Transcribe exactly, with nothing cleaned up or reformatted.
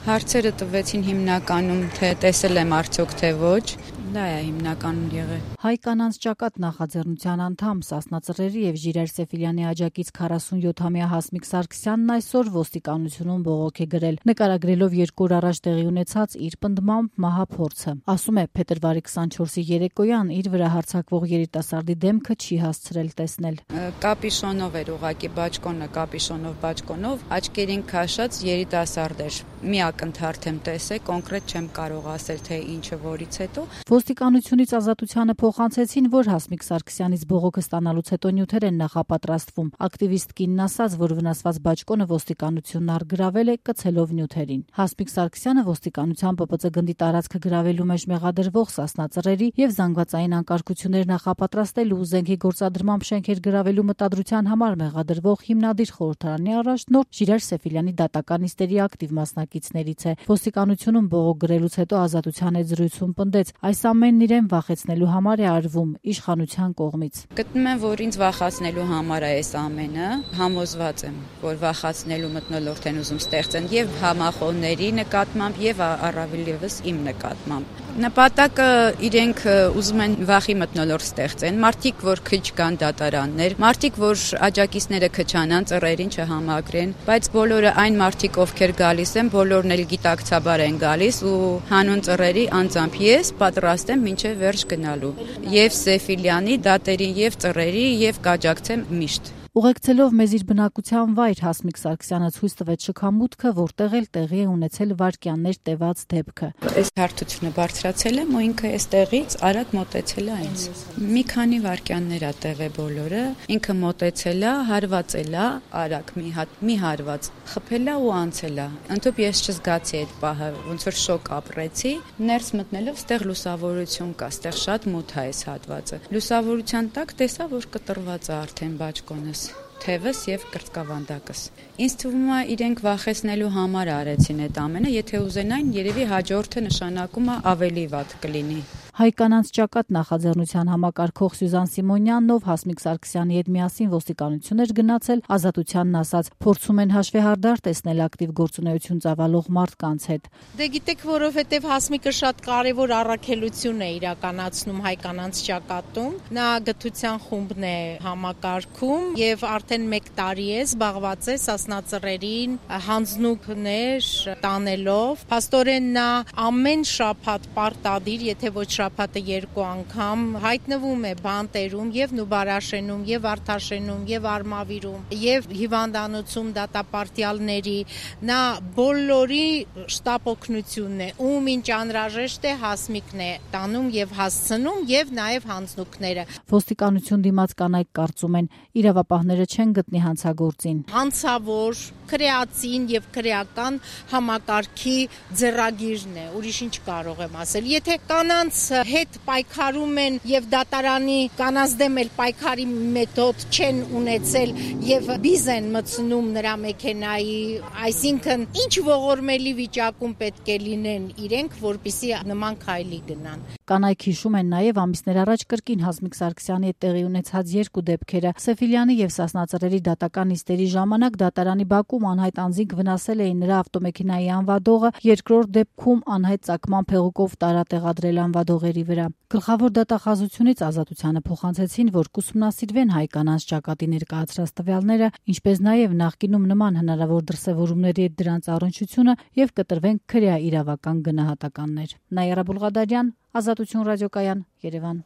Հարցերը տվեցին հիմնականում, թե տեսել եմ արդյոք թե ոչ, դա է հիմնականում եղել։ Հայ կանանց ճակատ նախաձեռնության անդամ Սասնա Ծռերի եւ Ժիրայր Սեֆիլյանի աջակից քառասունյոթամյա Հասմիկ Սարգսյանն այսօր ոստիկանությունում բողոք է գրել, նկարագրելով երկու օր առաջ տեղի ունեցած իր պնդմամբ մահափորձը։ Ասում է, փետրվարի քսանչորսի երեկոյան իր վրա հարձակվող երիտասարդի դեմքը չի հասցրել տեսնել։ Կապիշոնով էր ուղակի բաճկոնը, կապիշոնով բաճկոնով, աչքերին քաշած երիտասարդ էր։ Մի ակնթարթ եմ տեսել, կոնկրետ չեմ կարող ասել, թե ինչը որից հետո։ Ոստիկանությունից ազատությանը փոխանցեցին, որ Հասմիկ Սարգսյանից բողոքը ստանալուց հետո նյութեր են նախապատրաստվում։ Ակտիվիստ կինն ասաց, որ վնասված բաճկոնը ոստիկանությունն առգրավել է կցելով նյութերին։ Հասմիկ Սարգսյանը ոստիկանության Պ Պ Ծ գնդի տարածքը գրավելու մեջ մեղադրվող Սասնա Ծռերի եւ զանգվածային անկարգություններ նախապատրաստելու ու զենքի գործադրմամբ շենքեր գրավելու մտադրության համար մեղադրվող հիմնադիր խորհրդարանի առաջնորդ Ժիրայր Սեֆիլյանի դատական նիստերի ակտիվ մասնակիցներից է։ Ոստիկանությունում բողոք գրելուց հետո ազատության հետ զրույցում պնդեց, այս ամենն իրեն վախեցնելու համար է արվում իշխանության կողմից։ Գտնում եմ, որ ինձ վախացնելու համար է այս ամենը, համոզված եմ, որ վախացնելու մթնոլորտ են ուզում ստեղծեն եւ համախոհների նկատմամբ եւ առավել եւս իմ նկատմամբ։ Նպատակը իրենք ուզում են վախի մթնոլորտ ստեղծեն, մարդիկ, որ քչկան դատարաններ, մարդիկ, որ աջակիցները քչանան, ծռերին չհամակրեն, բայց բոլորը այն մարդիկ, ովքեր գալիս են, բոլորն էլ գիտակցաբար են գալիս ու հանուն ծռերի անձամբ ես պատրաստ եմ մինչև վերջ գնալու եւ Սեֆիլյանի դատերին եւ ծռերի եւ կաջակցեմ միշտ։ Ուղեկցելով մեզ իր բնակության վայր Հասմիկ Սարգսյանը ցույց տվեց շքամուտքը, որտեղ էլ տեղի է ունեցել վայրկյաններ տևած դեպքը։ Այս հարթությունը բարձրացել եմ ու ինքը այստեղից արագ մոտեցել է ինձ։ Մի քանի վայրկյաններ ա տևե բոլորը, ինքը մոտեցել է, հարվածել է, արագ մի հատ մի հարված, խփել է ու անցել է։ Ընդհանուր ես չզգացի այդ պահը, ոնց որ շոկ ապրեցի, ներս մտնելով ստեղ լուսավորություն կա, ստեղ շատ մութ է այս հատվածը։ Լուսավորության տակ տեսա, որ կտրված է արդեն բաճկոնս, թևս եւ կրծքավանդակս։ Ինձ թվում է իրենք վախեցնելու համար արեցին այդ ամենը, եթե ուզենային, երևի հաջորդը նշանակում է ավելի վատ կլինի։ Հայ կանանց ճակատ նախաձեռնության համակարգող Սյուզան Սիմոնյանն, ով Հասմիկ Սարգսյանի հետ միասին ոստիկանություն էր գնացել, ազատությանն ասաց, փորձում են հաշվեհարդար տեսնել ակտիվ գործունեություն ծավալող մարդկանց հետ։ Դե գիտեք, որովհետև Հասմիկը շատ կարևոր առաքելություն է իրականացնում հայ կանանց ճակատում։ Նա գթության խումբն է համակարգում եւ արդեն մեկ տարի է զբաղված է Սասնա Ծռերին հանձնուկներ տանելով։ Փաստորեն նա ամեն շաբաթ պարտադիր, եթե ոչ շաբաթը երկու անգամ հայտնվում է բանտերում եւ Նուբարաշենում եւ Արթաշենում եւ Արմավիրում եւ հիվանդանոցում դատապարտյալների նա բոլորի շտապ օգնությունն է ում ինչ անհրաժեշտ է Հասմիկն է տանում եւ հասցնում եւ նաեւ հանձնուկները։ Ոստիկանություն դիմաց կանայք կարծում են իրավապահները չեն գտնի հանցագործին։ Հանցավոր, քրեացին եւ քրեական համակարգի ձեռագիրն է, ուրիշ ինչ կարող եմ ասել։ Եթե կանանց հետ պայքարում են եւ դատարանի կանանց դեմ էլ պայքարի մեթոդ չեն ունեցել եւ բիզ են մտցնում նրա մեքենայի, այսինքն ինչ ողորմելի վիճակում պետք է լինեն իրենք, որպիսի նման քայլի գնան։ Կանայք հիշում են նաեւ ամիսներ առաջ կրկին Հասմիկ Սարգսյանի հետ տեղի ունեցած երկու դեպքերը։ Սեֆիլյանի եւ Սասնա Ծռերի դատական նիստերի ժամանակ դատարանի բակում անհայտ անձինք վնասել էին նրա ավտոմեքենայի անվադողը, երկրորդ դեպքում անհայտ ծագման փեղուկով տարատեղադրել անվադողերի վրա։ Գլխավոր դատախազությունից ազատությանը փոխանցեցին, որ կուսումնասիրվեն հայ կանանց ճակատի ներկայացրած տվյալները, ինչպես նաեւ նախկինում նման հնարավոր դրսևորումների հետ դրանց առնչությունը եւ կտրվեն քրեա իրավական գնահատականներ։ Նաիրա Բուլղադարյան, Ազատություն ռադիոկայան, Երևան։